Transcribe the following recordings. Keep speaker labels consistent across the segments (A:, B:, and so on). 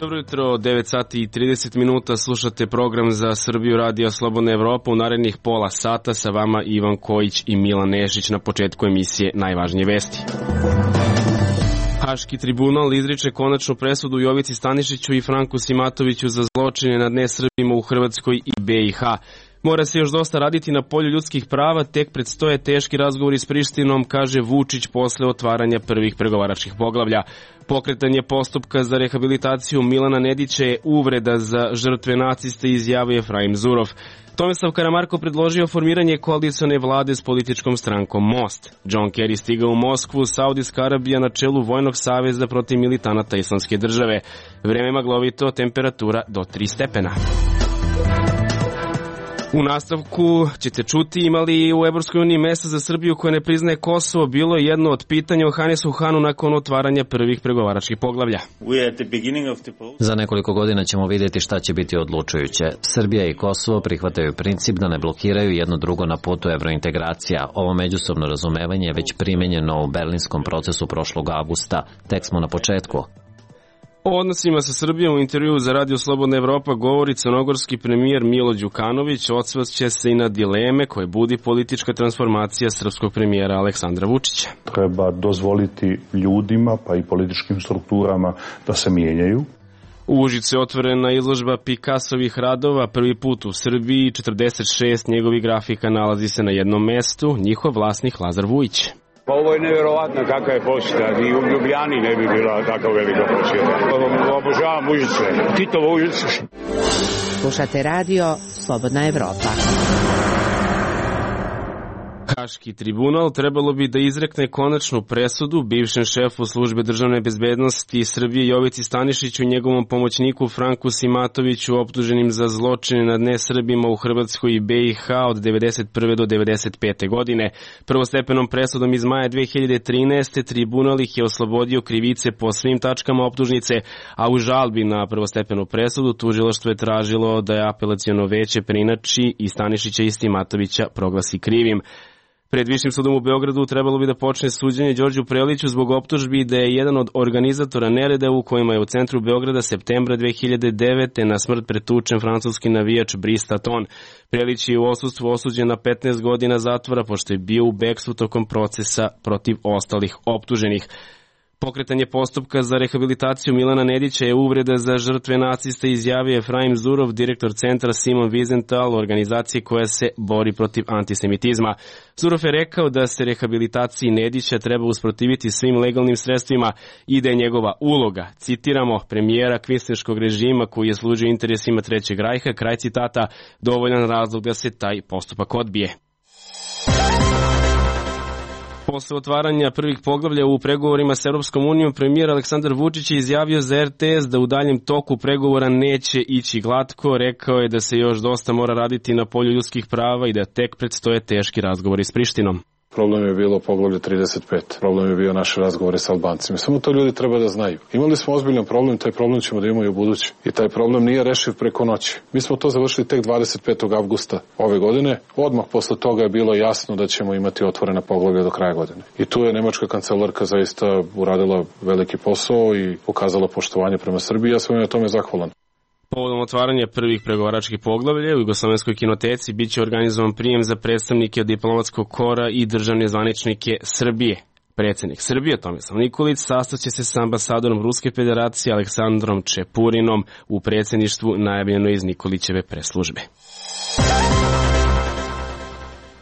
A: Dobro jutro, 9 sati i 30 minuta, slušate program za Srbiju Radio Slobodna Evropa. U narednih pola sata sa vama Ivan Kojić i Milan Nešić. Na početku emisije najvažnije vesti. Haški tribunal izriče konačnu presudu Jovici Stanišiću i Franku Simatoviću za zločine nad nesrbima u Hrvatskoj i BiH. Mora se još dosta raditi na polju ljudskih prava, tek predstoje teški razgovori s Prištinom, kaže Vučić posle otvaranja prvih pregovaračkih poglavlja. Pokretanje postupka za rehabilitaciju Milana Nedića je uvreda za žrtve nacista, izjavio Efraim Zurov. Tomislav Karamarko predložio formiranje koalicione vlade s političkom strankom Most. John Kerry stigao u Moskvu, Saudijska Arabija na čelu vojnog saveza protiv militanata Islamske države. Vreme maglovito, temperatura do 3 stepena. U nastavku ćete čuti, imali u Evropskoj uniji mesta za Srbiju koja ne priznaje Kosovo, bilo je jedno od pitanja o Hanesu Hanu nakon otvaranja prvih pregovaračkih poglavlja.
B: Za nekoliko godina ćemo vidjeti šta će biti odlučujuće. Srbija i Kosovo prihvataju princip da ne blokiraju jedno drugo na putu evrointegracija. Ovo međusobno razumevanje je već primenjeno u berlinskom procesu prošlog avgusta. Tek smo na početku.
A: O odnosima sa Srbijom u intervjuu za Radio Slobodna Evropa govori crnogorski premijer Milo Đukanović. Osvrće se i na dileme koje budi politička transformacija srpskog premijera Aleksandra Vučića.
C: Treba dozvoliti ljudima pa i političkim strukturama da se mijenjaju.
A: U Užicu je otvorena izložba Picassovih radova, prvi put u Srbiji. 46 njegovih grafika nalazi se na jednom mestu, njihov vlasnik Lazar Vujić.
D: Pa ovo je nevjerovatno kakva je posjeta, ni u Ljubljani ne bi bila tako velika posjeta. Obožavam Užice, Titovo Užice.
E: Slušate radio Slobodna Evropa.
A: Haški tribunal trebalo bi da izrekne konačnu presudu bivšem šefu službe državne bezbednosti Srbije Jovici Stanišiću i njegovom pomoćniku Franku Simatoviću optuženim za zločine nad nesrbima u Hrvatskoj i BiH od 1991. do 1995. godine. Prvostepenom presudom iz maja 2013. tribunal ih je oslobodio krivice po svim tačkama optužnice, a u žalbi na prvostepenu presudu tužilaštvo je tražilo da je apelaciono veće preinači i Stanišića i Simatovića proglasi krivim. Pred Višim sudom u Beogradu trebalo bi da počne suđenje Đorđu Preliću zbog optužbi da je jedan od organizatora nereda u kojima je u centru Beograda septembra 2009. na smrt pretučen francuski navijač Brice Taton. Prelić je u odsustvu osuđen na 15 godina zatvora pošto je bio u bekstvu tokom procesa protiv ostalih optuženih. Pokretanje postupka za rehabilitaciju Milana Nedića je uvreda za žrtve nacista, izjavio Efraim Zurov, direktor centra Simon Wiesenthal, organizacije koja se bori protiv antisemitizma. Zurov je rekao da se rehabilitaciji Nedića treba usprotiviti svim legalnim sredstvima i da je njegova uloga, citiramo, premijera kvislinškog režima koji je služio interesima Trećeg rajha, kraj citata, dovoljan razlog da se taj postupak odbije. Posle otvaranja prvih poglavlja u pregovorima s Europskom unijom, premijer Aleksandar Vučić je izjavio za RTS da u daljem toku pregovora neće ići glatko. Rekao je da se još dosta mora raditi na polju ljudskih prava i da tek predstoje teški razgovori s Prištinom.
C: Problem je bilo poglavlje 35. Problem je bio naše razgovore sa Albancima. Samo to ljudi treba da znaju. Imali smo ozbiljan problem, taj problem ćemo da imamo i u budući. I taj problem nije rešiv preko noći. Mi smo to završili tek 25. avgusta ove godine. Odmah posle toga je bilo jasno da ćemo imati otvorena poglavlja do kraja godine. I tu je nemačka kancelarka zaista uradila veliki posao i pokazala poštovanje prema Srbiji. Ja sam na tome zahvalan.
A: Povodom otvaranja prvih pregovaračkih poglavlja u Jugoslovenskoj kinoteci biće organizovan prijem za predstavnike diplomatskog kora i državne zvaničnike Srbije. Predsjednik Srbije Tomislav Nikolić sastaće se s ambasadorom Ruske federacije Aleksandrom Čepurinom u predsjedništvu najavljeno iz Nikolićeve preslužbe.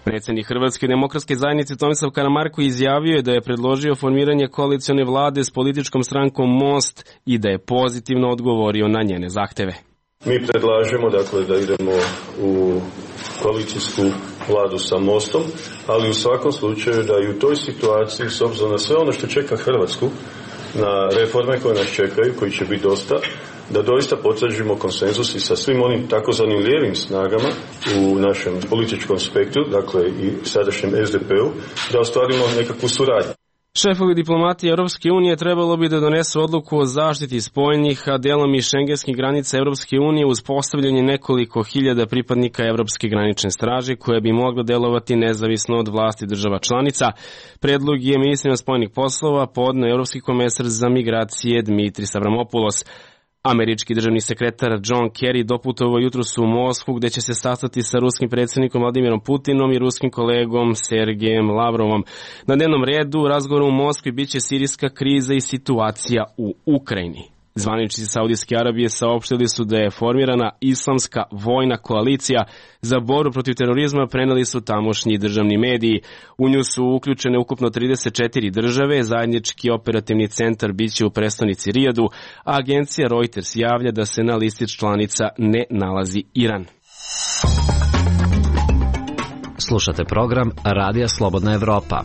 A: Predsjednik Hrvatske demokratske zajednice Tomislav Karamarko izjavio je da je predložio formiranje koalicione vlade s političkom strankom Most i da je pozitivno odgovorio na njene zahteve.
F: Mi predlažemo dakle da idemo u koalicijsku vladu sa Mostom, ali u svakom slučaju da i u toj situaciji, s obzirom na sve ono što čeka Hrvatsku, na reforme koje nas čekaju, koji će biti dosta, da doista potvrđujemo konsenzus i sa svim onim takozvanim lijevim snagama u našem političkom spektru, dakle i sadašnjem SDP-u, da ostvarimo nekakvu suradnju.
A: Šefovi diplomatije Europske unije trebalo bi da donesu odluku o zaštiti spoljnih, a delom i šengenskih granica Europske unije uz postavljanje nekoliko hiljada pripadnika Evropske granične straže koja bi mogla delovati nezavisno od vlasti država članica. Predlog je ministrima spoljnih poslova podneo Europski komesar za migracije Dmitris Avramopoulos. Američki državni sekretar John Kerry doputovao jutros u Moskvu gde će se sastati sa ruskim predsjednikom Vladimirom Putinom i ruskim kolegom Sergejem Lavrovom. Na dnevnom redu razgovora u Moskvi biće sirijska kriza i situacija u Ukrajini. Zvaničnici Saudijske Arabije saopštili su da je formirana islamska vojna koalicija za borbu protiv terorizma, preneli su tamošnji državni mediji. U nju su uključene ukupno 34 države, zajednički operativni centar biće u prestonici Rijadu, a agencija Reuters javlja da se na listi članica ne nalazi Iran.
B: Slušate program Radija Slobodna Evropa.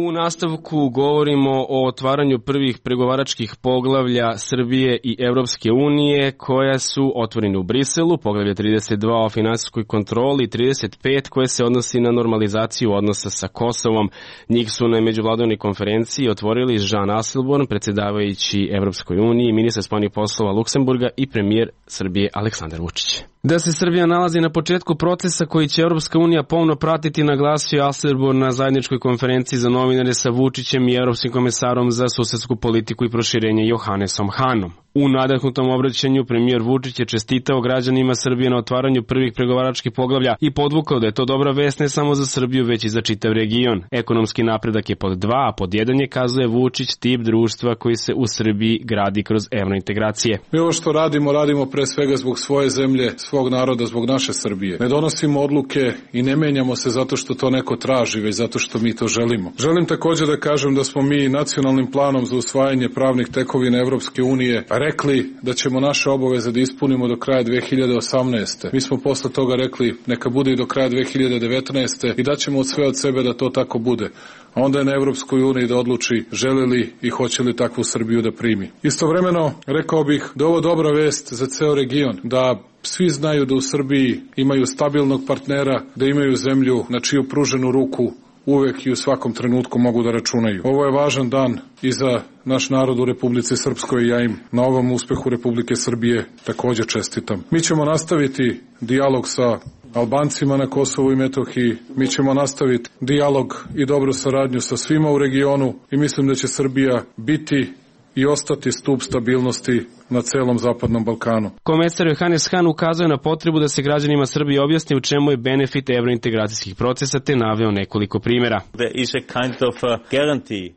A: U nastavku govorimo o otvaranju prvih pregovaračkih poglavlja Srbije i Evropske unije koja su otvorene u Briselu, poglavlje 32 o finansijskoj kontroli i 35 koje se odnosi na normalizaciju odnosa sa Kosovom. Njih su na međuvladovnoj konferenciji otvorili Jean Asselborn, predsjedavajući Evropskoj uniji, ministar spoljnih poslova Luksemburga i premijer Srbije Aleksandar Vučić. Da se Srbija nalazi na početku procesa koji će Evropska unija pomno pratiti, naglasio Asselborn na zajedničkoj konferenciji za novinare sa Vučićem i Evropskim komesarom za susedsku politiku i proširenje Johannesom Hanom. U nadahnutom obraćanju premijer Vučić je čestitao građanima Srbije na otvaranju prvih pregovaračkih poglavlja i podvukao da je to dobra vest ne samo za Srbiju, već i za čitav region. Ekonomski napredak je pod 2, a pod 1 je, kazuje Vučić, tip društva koji se u Srbiji gradi kroz evrointegracije.
C: Mi ovo što radimo pre svega zbog svoje zemlje, svog naroda, zbog naše Srbije. Ne donosimo odluke i ne menjamo se zato što to neko traži, već zato što mi to želimo. Želim također da kažem da smo mi nacionalnim planom za usvajanje pravnih tekovina Evropske unije rekli da ćemo naše obaveze da ispunimo do kraja 2018. Mi smo posle toga rekli neka bude i do kraja 2019. i daćemo sve od sebe da to tako bude. A onda je na Evropskoj uniji da odluči želi li i hoće li takvu Srbiju da primi. Istovremeno rekao bih da ovo dobra vest za ceo region, da svi znaju da u Srbiji imaju stabilnog partnera, da imaju zemlju na čiju pruženu ruku uvek i u svakom trenutku mogu da računaju. Ovo je važan dan i za naš narod u Republici Srpskoj i ja im na ovom uspehu Republike Srbije također čestitam. Mi ćemo nastaviti dijalog sa Albancima na Kosovu i Metohiji, mi ćemo nastaviti dijalog i dobru saradnju sa svima u regionu i mislim da će Srbija biti i ostati stup stabilnosti na celom Zapadnom Balkanu.
A: Komesar Johannes Hahn ukazuje na potrebu da se građanima Srbije objasni u čemu je benefit evrointegracijskih procesa, te naveo nekoliko primjera.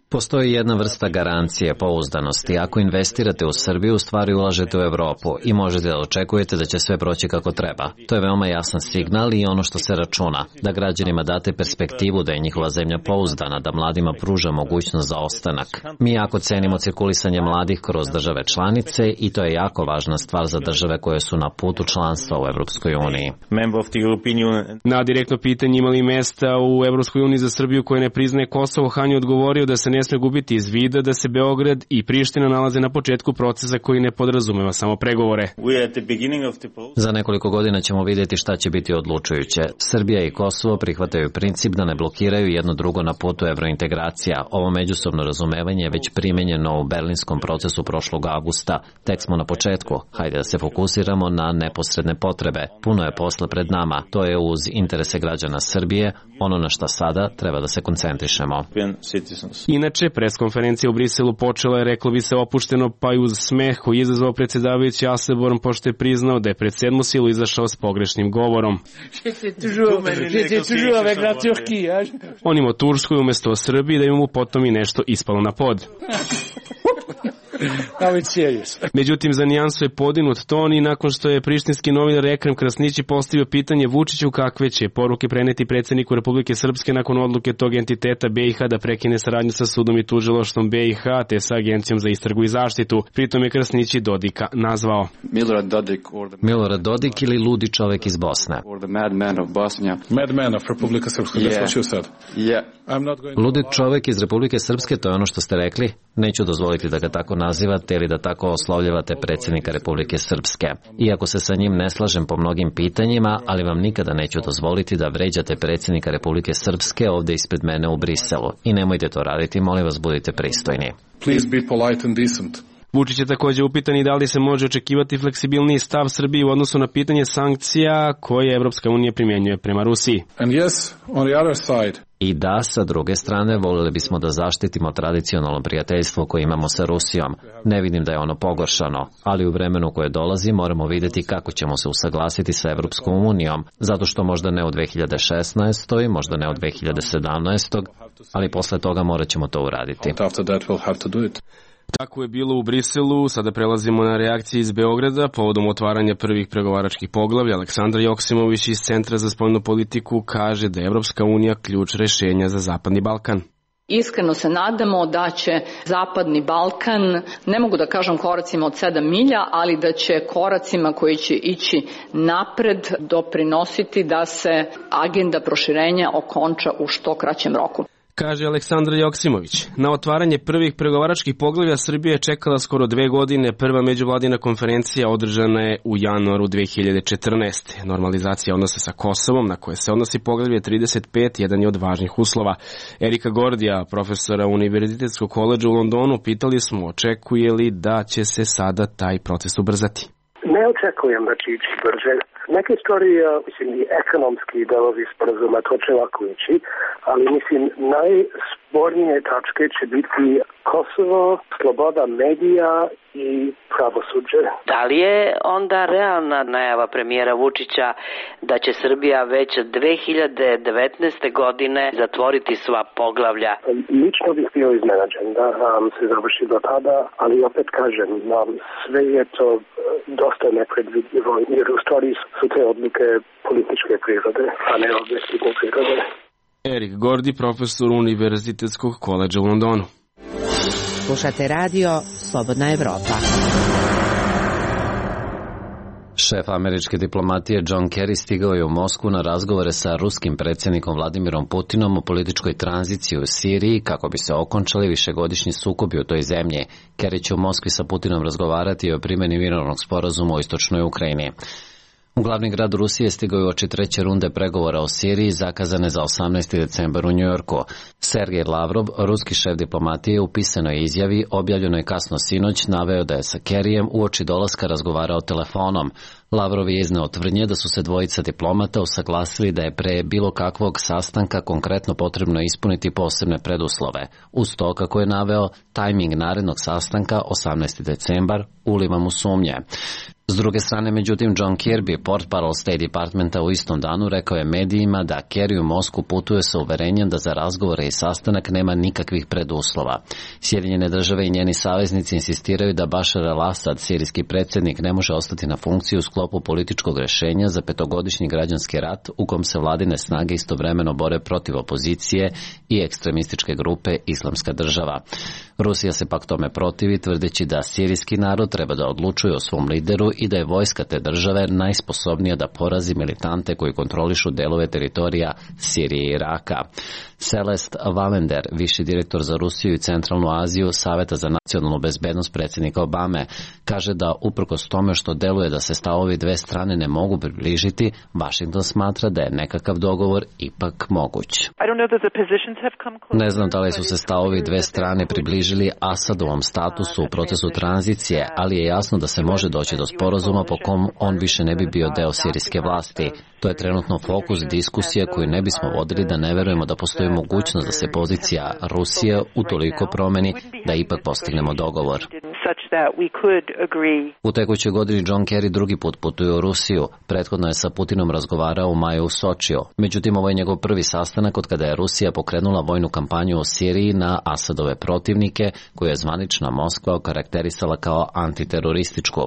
B: Postoji jedna vrsta garancije, pouzdanosti. Ako investirate u Srbiju, u stvari ulažete u Evropu i možete da očekujete da će sve proći kako treba. To je veoma jasan signal i ono što se računa, da građanima date perspektivu da je njihova zemlja pouzdana, da mladima pruža mogućnost za ostanak. Mi jako cenimo cirkulisanje mladih kroz države članice i to je jako važna stvar za države koje su na putu članstva u Evropskoj uniji.
A: Na direktno pitanje ima li mesta u Evropskoj uniji za Srbiju koja ne priznaje Kosovo, Hahn je odgovorio da se ne sme gubiti iz vida da se Beograd i Priština nalaze na početku procesa koji ne podrazumeva samo pregovore.
B: Za nekoliko godina ćemo vidjeti šta će biti odlučujuće. Srbija i Kosovo prihvataju princip da ne blokiraju jedno drugo na putu evrointegracija. Ovo međusobno razumevanje je već primenjeno u berlinskom procesu prošlog avgusta. Tek smo na početku. Hajde da se fokusiramo na neposredne potrebe. Puno je posla pred nama. To je uz interese građana Srbije, ono na šta sada treba da se koncentrišemo.
A: Inače, preskonferencija u Briselu počela je, reklo bi se, opušteno, pa i uz smeh koji je izazvao predsjedavajući Asselborn, pošto je priznao da je pred sedmu silu izašao s pogrešnim govorom. On ima o Turskoj umjesto o Srbiji, da mu potom i nešto ispalo na pod. Međutim, za nijansu je podinut ton i nakon što je prištinski novinar Ekrem Krasnići postavio pitanje Vučiću kakve će poruke preneti predsjedniku Republike Srpske nakon odluke tog entiteta BiH da prekine saradnju sa sudom i tužilaštvom BiH te sa Agencijom za istragu i zaštitu. Pritom je Krasnići Dodika nazvao
B: Milorad Dodik ili ludi čovek iz Bosne.
C: Madman of Republika Srpska, that's what you said.
B: Ludi čovek iz Republike Srpske, to je ono što ste rekli? Neću dozvoliti da ga tako nazivate ili da tako oslovljavate predsjednika Republike Srpske. Iako se sa njim ne slažem po mnogim pitanjima, ali vam nikada neću dozvoliti da vređate predsjednika Republike Srpske ovdje ispred mene u Briselu. I nemojte to raditi, molim vas, budite pristojni.
C: Please be polite and decent.
A: Vučić je takođe upitan i da li se može očekivati fleksibilniji stav Srbije u odnosu na pitanje sankcija koje Evropska unija primjenjuje prema Rusiji.
B: I da, sa druge strane, voljeli bismo da zaštitimo tradicionalno prijateljstvo koje imamo sa Rusijom. Ne vidim da je ono pogoršano, ali u vremenu koje dolazi moramo vidjeti kako ćemo se usaglasiti sa Evropskom unijom, zato što možda ne u 2016. možda ne u 2017. ali posle toga morat ćemo to uraditi.
A: Tako je bilo u Briselu, sada prelazimo na reakcije iz Beograda povodom otvaranja prvih pregovaračkih poglavlja. Aleksandar Joksimović iz Centra za spoljnu politiku kaže da je Evropska unija ključ rešenja za Zapadni Balkan.
G: Iskreno se nadamo da će Zapadni Balkan, ne mogu da kažem koracima od 7 milja, ali da će koracima koji će ići napred doprinositi da se agenda proširenja okonča u što kraćem roku.
A: Kaže Aleksandar Joksimović. Na otvaranje prvih pregovaračkih poglavlja Srbija je čekala skoro 2 godine. Prva međuvladina konferencija održana je u januaru 2014. Normalizacija odnosa sa Kosovom, na koje se odnosi poglavlje 35, jedan je od važnih uslova. Erika Gordija, profesora Univerzitetskog koledža u Londonu, pitali smo očekuje li da će se sada taj proces ubrzati.
H: Ne očekujem da će ići brže. Neke stvari, mislim, i ekonomski delovi sporazuma, to će lako ići, ali mislim, najspornije tačke će biti Kosovo, sloboda medija i pravosuđe.
I: Da li je onda realna najava premijera Vučića da će Srbija već 2019. godine zatvoriti sva poglavlja?
H: Lično bih bio iznenađen da se završi do tada, ali opet kažem, sve je to dosta nepredvidljivo, jer u stvari su te odluke političke prirode, a ne objektivne prirode.
A: Erik Gordi, profesor Univerzitetskog koledža u Londonu.
E: Slušate radio Slobodna Evropa.
B: Šef američke diplomatije John Kerry stigao je u Moskvu na razgovore sa ruskim predsjednikom Vladimirom Putinom o političkoj tranziciji u Siriji kako bi se okončali višegodišnji sukobi u toj zemlji. Kerry će u Moskvi sa Putinom razgovarati o primjeni mirovnog sporazuma u istočnoj Ukrajini. U glavni grad Rusije stigao je uoči treće runde pregovora o Siriji zakazane za 18. decembar u Njujorku. Sergej Lavrov, ruski šef diplomatije, u pisanoj izjavi objavljenoj kasno sinoć naveo da je sa Kerryjem uoči dolaska razgovarao telefonom. Lavrov je izneo tvrdnje da su se dvojica diplomata usaglasili da je pre bilo kakvog sastanka konkretno potrebno ispuniti posebne preduslove. Uz to, kako je naveo, tajming narednog sastanka 18. decembar uliva mu sumnje. S druge strane, međutim, John Kirby, portparol State Departmenta, u istom danu rekao je medijima da Kerry u Moskvu putuje sa uverenjem da za razgovore i sastanak nema nikakvih preduslova. Sjedinjene države i njeni saveznici insistiraju da Bashar al-Assad, sirijski predsjednik, ne može ostati na funkciji u sklopu političkog rešenja za 5-godišnji građanski rat u kom se vladine snage istovremeno bore protiv opozicije i ekstremističke grupe Islamska država. Rusija se pak tome protivi, tvrdeći da sirijski narod treba da odlučuje o svom lideru i da je vojska te države najsposobnija da porazi militante koji kontrolišu delove teritorija Sirije i Iraka. Celeste Valender, viši direktor za Rusiju i Centralnu Aziju Saveta za nacionalnu bezbednost predsjednika Obame, kaže da uprkos tome što deluje da se stavovi dve strane ne mogu približiti, Washington smatra da je nekakav dogovor ipak moguć. Ne znam da li su se stavovi dve strane približili Asadovom statusu u procesu tranzicije, ali je jasno da se može doći do sporazuma po kom on više ne bi bio deo sirijske vlasti. To je trenutno fokus diskusije koju ne bismo vodili da ne verujemo da postoji mogućnost da se pozicija Rusije utoliko promeni da ipak postignemo dogovor. U tekućoj godini John Kerry drugi put putuje u Rusiju. Prethodno je sa Putinom razgovarao u maju u Sočiju. Međutim, ovo je njegov prvi sastanak od kada je Rusija pokrenula vojnu kampanju u Siriji na Asadove protivnike, koju je zvanična Moskva okarakterisala kao antiterorističku.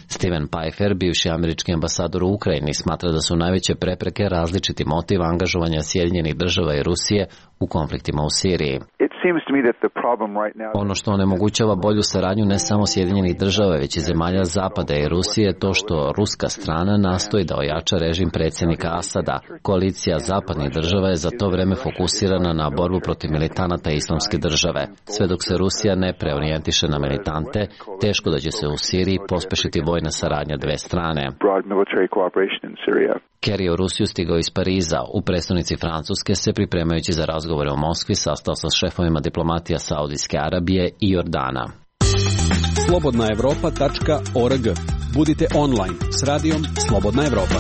B: Steven Pfeiffer, bivši američki ambasador u Ukrajini, smatra da su najveće prepreke različiti motiv angažovanja Sjedinjenih država i Rusije u konfliktima u Siriji. Ono što onemogućava bolju saradnju ne samo Sjedinjenih država, već i zemalja Zapada i Rusije je to što ruska strana nastoji da ojača režim predsjednika Asada. Koalicija zapadnih država je za to vreme fokusirana na borbu protiv militanata Islamske države. Sve dok se Rusija ne preorijentiše na militante, teško da će se u Siriji pospešiti vojna saradnja dve strane. Kerry je u Rusiju stigao iz Pariza. U prestonici Francuske se, pripremajući za razgovore u Moskvi, sastao sa šefovima diplomatija Saudijske Arabije i Jordana.
J: slobodnaevropa.org. Budite online s radijom Slobodna Evropa.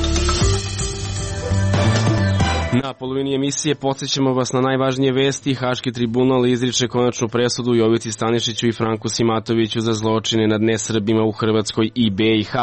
A: Na polovini emisije podsjećamo vas na najvažnije vesti. Haški tribunal izriče konačnu presudu Jovici Stanišiću i Franku Simatoviću za zločine nad nesrbima u Hrvatskoj i BiH.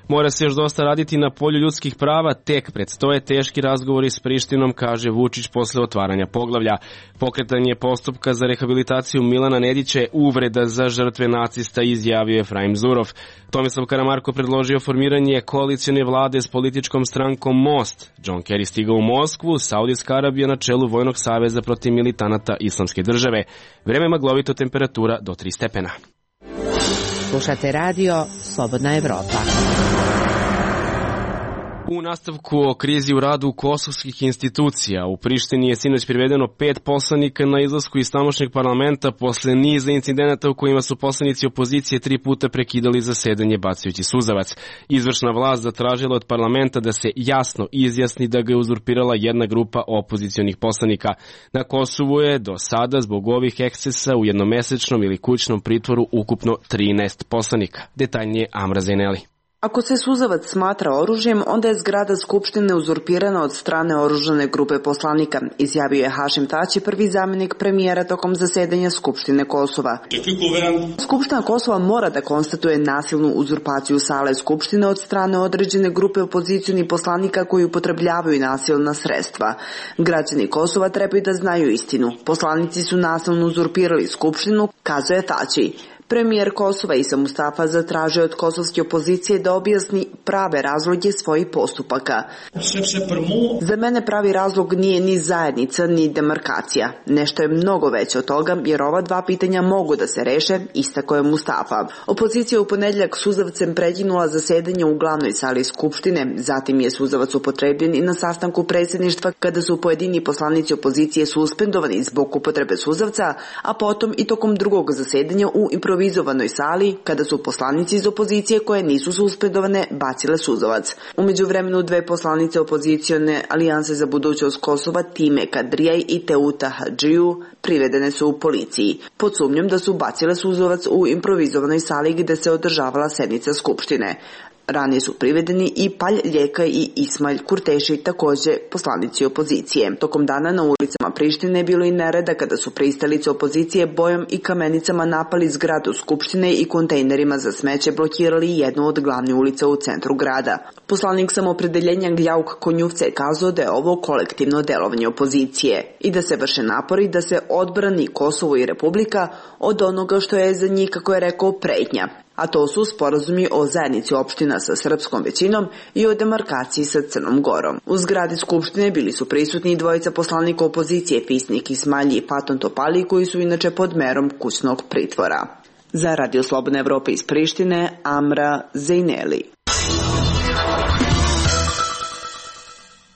A: Mora se još dosta raditi na polju ljudskih prava, tek predstoje teški razgovori s Prištinom, kaže Vučić posle otvaranja poglavlja. Pokretanje postupka za rehabilitaciju Milana Nedića je uvreda za žrtve nacista, izjavio Efraim Zurov. Tomislav Karamarko predložio formiranje koalicione vlade s političkom strankom Most. John Kerry stigao u Moskvu, Saudijska Arabija na čelu Vojnog saveza protiv militanata Islamske države. Vreme maglovito, temperatura do 3 stepena.
E: Slušate radio Slobodna Evropa.
A: U nastavku o krizi u radu kosovskih institucija, u Prištini je sinoć privedeno 5 poslanika na izlasku iz tamošnjeg parlamenta posle niza incidenata u kojima su poslanici opozicije 3 puta prekidali zasedanje bacajući suzavac. Izvršna vlast zatražila od parlamenta da se jasno izjasni da ga je uzurpirala jedna grupa opozicionih poslanika. Na Kosovu je do sada zbog ovih ekscesa u jednomesečnom ili kućnom pritvoru ukupno 13 poslanika. Detaljnije Amra Zeneli.
K: Ako se suzavac smatra oružjem, onda je zgrada Skupštine uzurpirana od strane oružane grupe poslanika, izjavio je Hašim Tači, prvi zamjenik premijera tokom zasedanja Skupštine Kosova. Skupština Kosova mora da konstatuje nasilnu uzurpaciju sale Skupštine od strane određene grupe opozicionih poslanika koji upotrebljavaju nasilna sredstva. Građani Kosova trebaju da znaju istinu. Poslanici su nasilno uzurpirali Skupštinu, kazuje Tači. Premijer Kosova Isa Mustafa zatražio od kosovske opozicije da objasni prave razloge svojih postupaka. Za mene pravi razlog nije ni zajednica, ni demarkacija. Nešto je mnogo veće od toga, jer ova dva pitanja mogu da se reše, istako je Mustafa. Opozicija u ponedjeljak suzavcem prekinula zasedanje u glavnoj sali Skupštine, zatim je suzavac upotrebljen i na sastanku predsjedništva kada su pojedini poslanici opozicije suspendovani zbog upotrebe suzavca, a potom i tokom drugog zasedanja u improvizovanoj sali kada su poslanici iz opozicije koje nisu suspendovane bacile suzavac. U međuvremenu 2 poslanice opozicione Alijanse za budućnost Kosova, Time Kadrijaj i Teuta Hadžiju, privedene su u policiji pod sumnjom da su bacile suzavac u improvizovanoj sali gde se održavala sednica Skupštine. Ranije su privedeni i Palj Ljeka i Ismail Kurteši, također poslanici opozicije. Tokom dana na ulicama Prištine je bilo i nereda kada su pristalice opozicije bojom i kamenicama napali zgradu Skupštine i kontejnerima za smeće blokirali jednu od glavnih ulica u centru grada. Poslanik samopredeljenja Gljauk Konjuvce je kazao da je ovo kolektivno delovanje opozicije i da se vrše napori da se odbrani Kosovo i Republika od onoga što je za njih, kako je rekao, pretnja. A to su sporazumi o zajednici opština sa srpskom većinom i o demarkaciji sa Crnom Gorom. U zgradi Skupštine bili su prisutni 2 poslanika opozicije, Pisnik Ismalji i Paton Topali, koji su inače pod merom kućnog pritvora. Za Radio Slobodna Evropa iz Prištine, Amra Zejneli.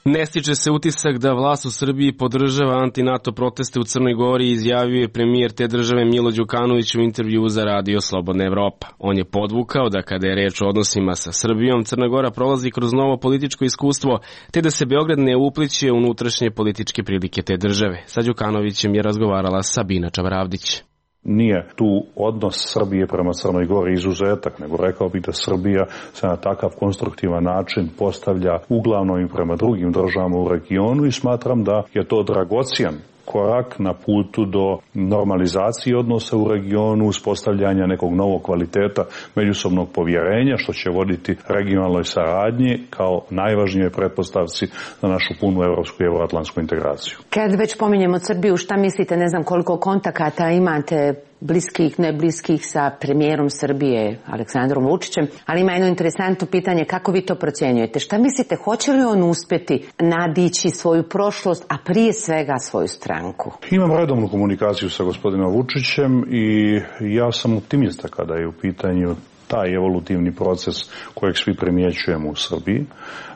A: Ne stiče se utisak da vlast u Srbiji podržava anti-NATO proteste u Crnoj Gori, izjavio je premijer te države Milo Đukanović u intervju za Radio Slobodna Evropa. On je podvukao da kada je reč o odnosima sa Srbijom, Crna Gora prolazi kroz novo političko iskustvo, te da se Beograd ne upliće u unutrašnje političke prilike te države. Sa Đukanovićem je razgovarala Sabina Čavravdić.
L: Nije tu odnos Srbije prema Crnoj Gori izuzetak, nego rekao bih da Srbija se na takav konstruktivan način postavlja uglavnom i prema drugim državama u regionu i smatram da je to dragocijan korak na putu do normalizacije odnosa u regionu, uspostavljanja nekog novog kvaliteta međusobnog povjerenja, što će voditi regionalnoj saradnji kao najvažnijoj pretpostavci za našu punu evropsku i evroatlantsku integraciju.
M: Kad već pominjemo Srbiju, šta mislite, ne znam koliko kontakata imate bliskih, ne bliskih sa premijerom Srbije, Aleksandrom Vučićem, ali ima jedno interesantno pitanje, kako vi to procjenjujete? Šta mislite, hoće li on uspjeti nadići svoju prošlost, a prije svega svoju stranku?
L: Imam redovnu komunikaciju sa gospodinom Vučićem i ja sam optimista kada je u pitanju taj evolutivni proces kojeg svi primjećujemo u Srbiji.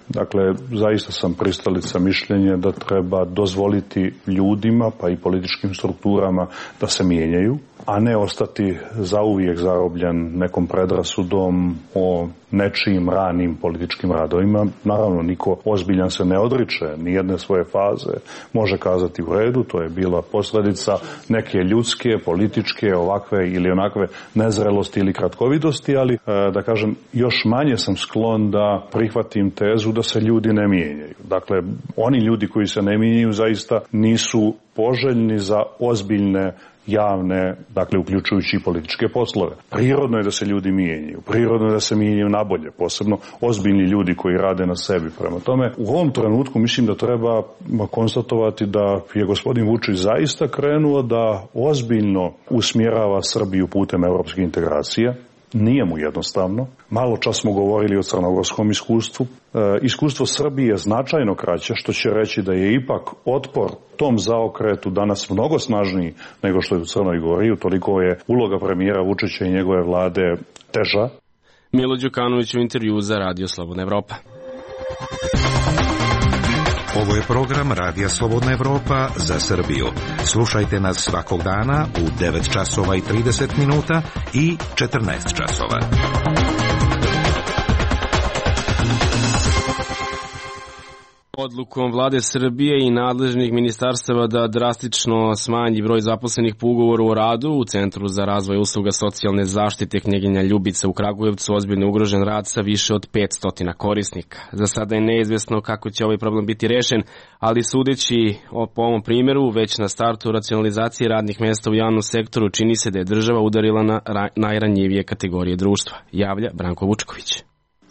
L: Dakle, zaista sam pristalica mišljenja da treba dozvoliti ljudima, pa i političkim strukturama da se mijenjaju, a ne ostati zauvijek zarobljen nekom predrasudom o nečijim ranim političkim radovima. Naravno, niko ozbiljan se ne odriče ni jedne svoje faze. Može kazati u redu, to je bila posljedica neke ljudske, političke, ovakve ili onakve nezrelosti ili kratkovidosti, ali da kažem, još manje sam sklon da prihvatim tezu da se ljudi ne mijenjaju. Dakle, oni ljudi koji se ne mijenjaju zaista nisu poželjni za ozbiljne javne, dakle uključujući i političke poslove. Prirodno je da se ljudi mijenjaju, prirodno je da se mijenjaju nabolje, posebno ozbiljni ljudi koji rade na sebi. Prema tome, u ovom trenutku mislim da treba konstatovati da je gospodin Vučić zaista krenuo da ozbiljno usmjerava Srbiju putem evropskih integracija. Nije mu jednostavno. Malo čas smo govorili o crnogorskom iskustvu. Iskustvo Srbije je značajno kraće, što će reći da je ipak otpor tom zaokretu danas mnogo snažniji nego što je u Crnoj Gori. Utoliko je uloga premijera Vučića i njegove vlade teža.
A: Milo Đukanović u intervju za Radio Slobodna Evropa.
N: Ovo je program Radija Slobodna Evropa za Srbiju. Slušajte nas svakog dana u 9 časova i 30 minuta i 14 časova.
A: Odlukom vlade Srbije i nadležnih ministarstava da drastično smanji broj zaposlenih po ugovoru o radu u Centru za razvoj usluga socijalne zaštite Knjeginja Ljubica u Kragujevcu ozbiljno ugrožen rad sa više od 500 korisnika. Za sada je neizvesno kako će ovaj problem biti rešen, ali sudeći po ovom primjeru, već na startu racionalizacije radnih mjesta u javnom sektoru čini se da je država udarila na najranjivije kategorije društva, javlja Branko Vučković.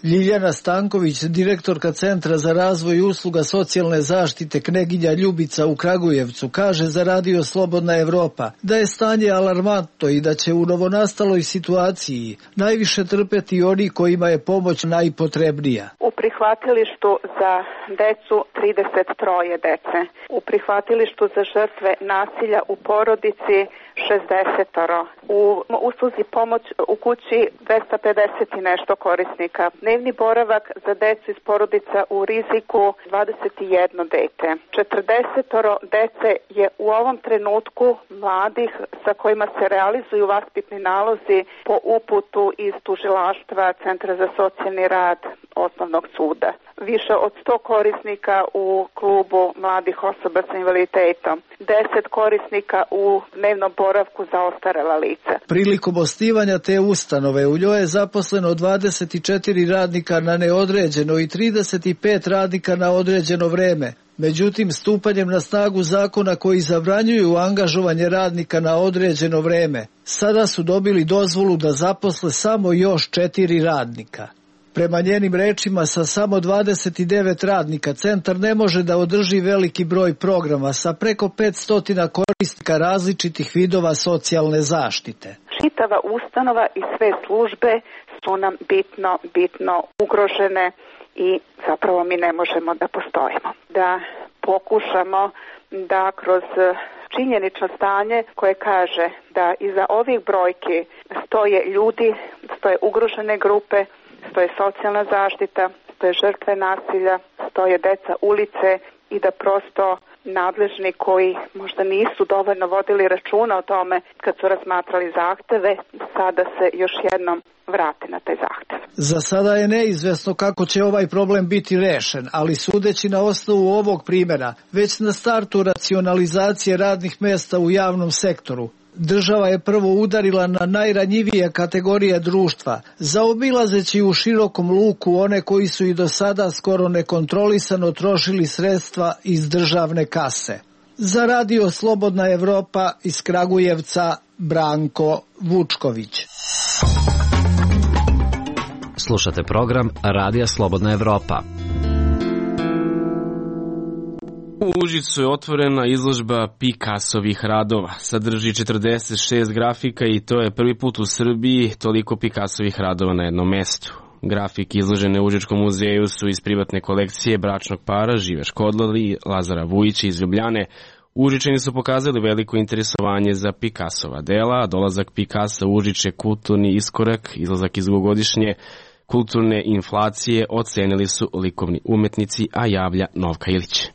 O: Ljiljana Stanković, direktorka Centra za razvoj usluga socijalne zaštite Knjeginja Ljubica u Kragujevcu, kaže za Radio Slobodna Evropa da je stanje alarmantno i da će u novonastaloj situaciji najviše trpeti oni kojima je pomoć najpotrebnija.
P: U prihvatilištu za decu 33 dece, u prihvatilištu za žrtve nasilja u porodici 60, u usluzi pomoć u kući 250 i nešto korisnika. Dnevni boravak za decu iz porodica u riziku 21 dete. 40 dece je u ovom trenutku mladih sa kojima se realizuju vaspitni nalozi po uputu iz tužilaštva Centra za socijalni rad Osnovnog suda. Više od 100 korisnika u klubu mladih osoba sa invaliditetom. 10 korisnika u dnevnom boravku za ostarela lica.
O: Prilikom osnivanja te ustanove u njoj je zaposleno 24 radnika na neodređeno i 35 radnika na određeno vreme. Međutim, stupanjem na snagu zakona koji zabranjuju angažovanje radnika na određeno vreme, sada su dobili dozvolu da zaposle samo još 4 radnika. Prema njenim rečima, sa samo 29 radnika centar ne može da održi veliki broj programa sa preko 500 korisnika različitih vidova socijalne zaštite.
P: Čitava ustanova i sve službe su nam bitno ugrožene i zapravo mi ne možemo da postojimo. Da pokušamo da kroz činjenično stanje koje kaže da iza ovih brojki stoje ljudi, stoje ugrožene grupe, stoje socijalna zaštita, stoje žrtve nasilja, stoje deca ulice i da prosto nadležni koji možda nisu dovoljno vodili računa o tome kad su razmatrali zahteve, sada se još jednom vrate na taj zahtev.
O: Za sada je neizvesno kako će ovaj problem biti rešen, ali sudeći na osnovu ovog primjera, već na startu racionalizacije radnih mjesta u javnom sektoru, država je prvo udarila na najranjivije kategorije društva, zaobilazeći u širokom luku one koji su i do sada skoro nekontrolisano trošili sredstva iz državne kase. Za Radio Slobodna Evropa iz Kragujevca, Branko Vučković.
B: Slušate program Radija Slobodna Evropa.
A: U Užicu je otvorena izložba Picassovih radova. Sadrži 46 grafika i to je prvi put u Srbiji toliko Picassovih radova na jednom mestu. Grafike izložene u Užičkom muzeju su iz privatne kolekcije bračnog para Žive Škodlali i Lazara Vujića iz Ljubljane. Užičani su pokazali veliko interesovanje za Picassova dela, a dolazak Picassa u Užič je kulturni iskorak, izlazak iz dugogodišnje kulturne inflacije ocenili su likovni umetnici, a javlja Novka Ilić.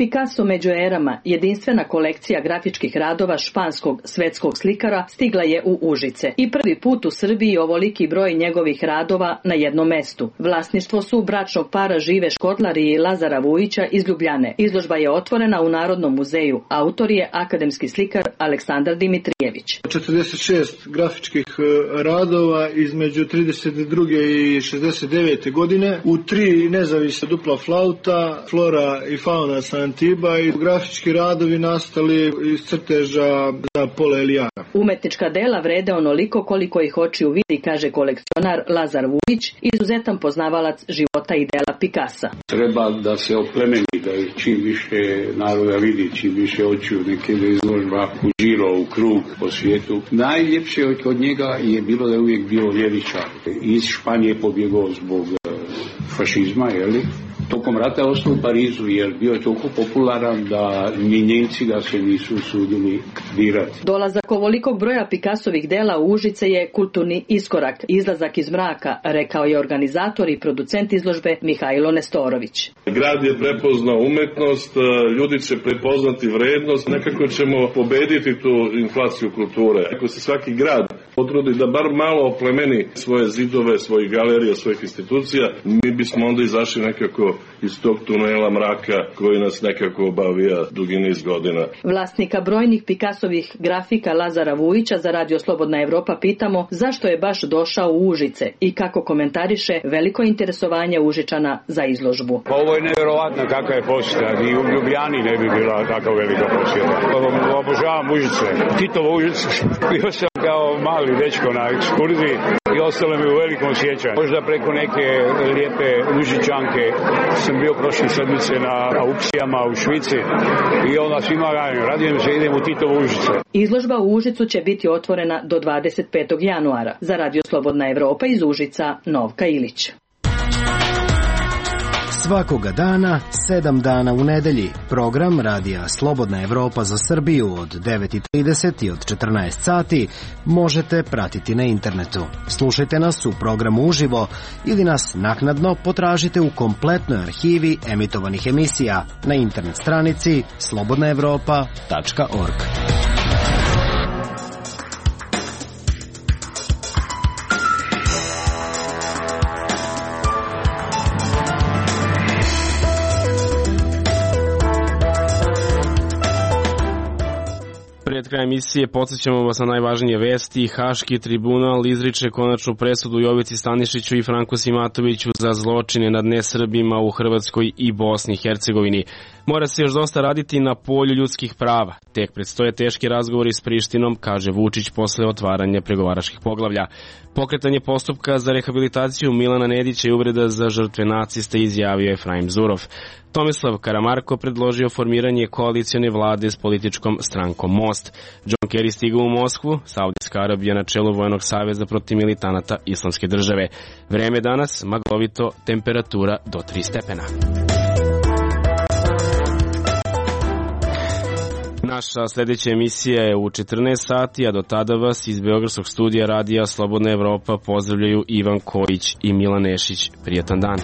Q: Picasso među erama, jedinstvena kolekcija grafičkih radova španskog svetskog slikara, stigla je u Užice. I prvi put u Srbiji ovoliki broj njegovih radova na jednom mestu. Vlasništvo su bračnog para Žive Škodlar i Lazara Vujića iz Ljubljane. Izložba je otvorena u Narodnom muzeju. Autor je akademski slikar Aleksandar Dimitrijević.
O: 46 grafičkih radova između 32. i 69. godine u 3 nezavisna dupla flauta, flora i fauna sa Antiba i grafički radovi nastali iz crteža za Pola Elijana.
Q: Umetnička dela vrede onoliko koliko ih očiju vidi, kaže kolekcionar Lazar Vujić, izuzetan poznavalac života i dela Picassa.
D: Treba da se oplemeni, da čim više naroda vidi, čim više očiju neke izložba uživo u krug po svijetu. Najljepše od njega je bilo da je uvijek bio ljevičar. Iz Španije pobjegao zbog fašizma, jeli? Tokom rata je ostao u Parizu jer bio je toliko popularan da ni Njemci ga se nisu usudili dirati.
Q: Dolazak ovolikog broja Picassovih dela u Užice je kulturni iskorak, izlazak iz mraka, rekao je organizator i producent izložbe Mihajlo Nestorović.
R: Grad je prepoznao umetnost, ljudi će prepoznati vrednost, nekako ćemo pobediti tu inflaciju kulture. Ako se svaki grad potrudi da bar malo oplemeni svoje zidove, svojih galerija, svojih institucija, mi bismo onda izašli nekako iz tog tunela mraka koji nas nekako obavija dugi niz godina.
Q: Vlasnika brojnih Picassovih grafika Lazara Vujića za Radio Slobodna Evropa pitamo zašto je baš došao u Užice i kako komentariše veliko interesovanje Užičana za izložbu.
D: Pa ovo je nevjerovatno kakva je posjeta, ni u Ljubljani ne bi bila tako velika posjeta. Obožavam Užice, Titovo Užice, bio sam kao mali dečko na ekskurziji i ostalo mi u velikom sjećanju. Možda preko neke lijepe Užičanke sam bio prošle sedmice na aukcijama u Švici i onda svima radim se idem u Titovo Užice.
Q: Izložba u Užicu će biti otvorena do 25. januara. Za Radio Slobodna Evropa iz Užica, Novka Ilić.
S: Svakoga dana, 7 dana u nedelji. Program Radija Slobodna Evropa za Srbiju od 9:30 i od 14 sati možete pratiti na internetu. Slušajte nas u programu uživo ili nas naknadno potražite u kompletnoj arhivi emitovanih emisija na internet stranici slobodnaevropa.org.
A: Pred krajem emisije podsjećamo vas na najvažnije vesti. Haški tribunal izriče konačnu presudu Jovici Stanišiću i Franku Simatoviću za zločine nad nesrbima u Hrvatskoj i Bosni i Hercegovini. Mora se još dosta raditi na polju ljudskih prava. Tek predstoje teški razgovori s Prištinom, kaže Vučić posle otvaranja pregovaračkih poglavlja. Pokretanje postupka za rehabilitaciju Milana Nedića i uvreda za žrtve nacista, izjavio Efraim Zurov. Tomislav Karamarko predložio formiranje koalicione vlade s političkom strankom Most. John Kerry stigao u Moskvu, Saudijska Arabija na čelu Vojnog saveza protiv militanata Islamske države. Vreme danas maglovito, temperatura do 3 stepena. Naša sljedeća emisija je u 14 sati, a do tada vas iz Beogradskog studija Radija Slobodna Evropa pozdravljaju Ivan Kojić i Milan Nešić. Prijatan dan.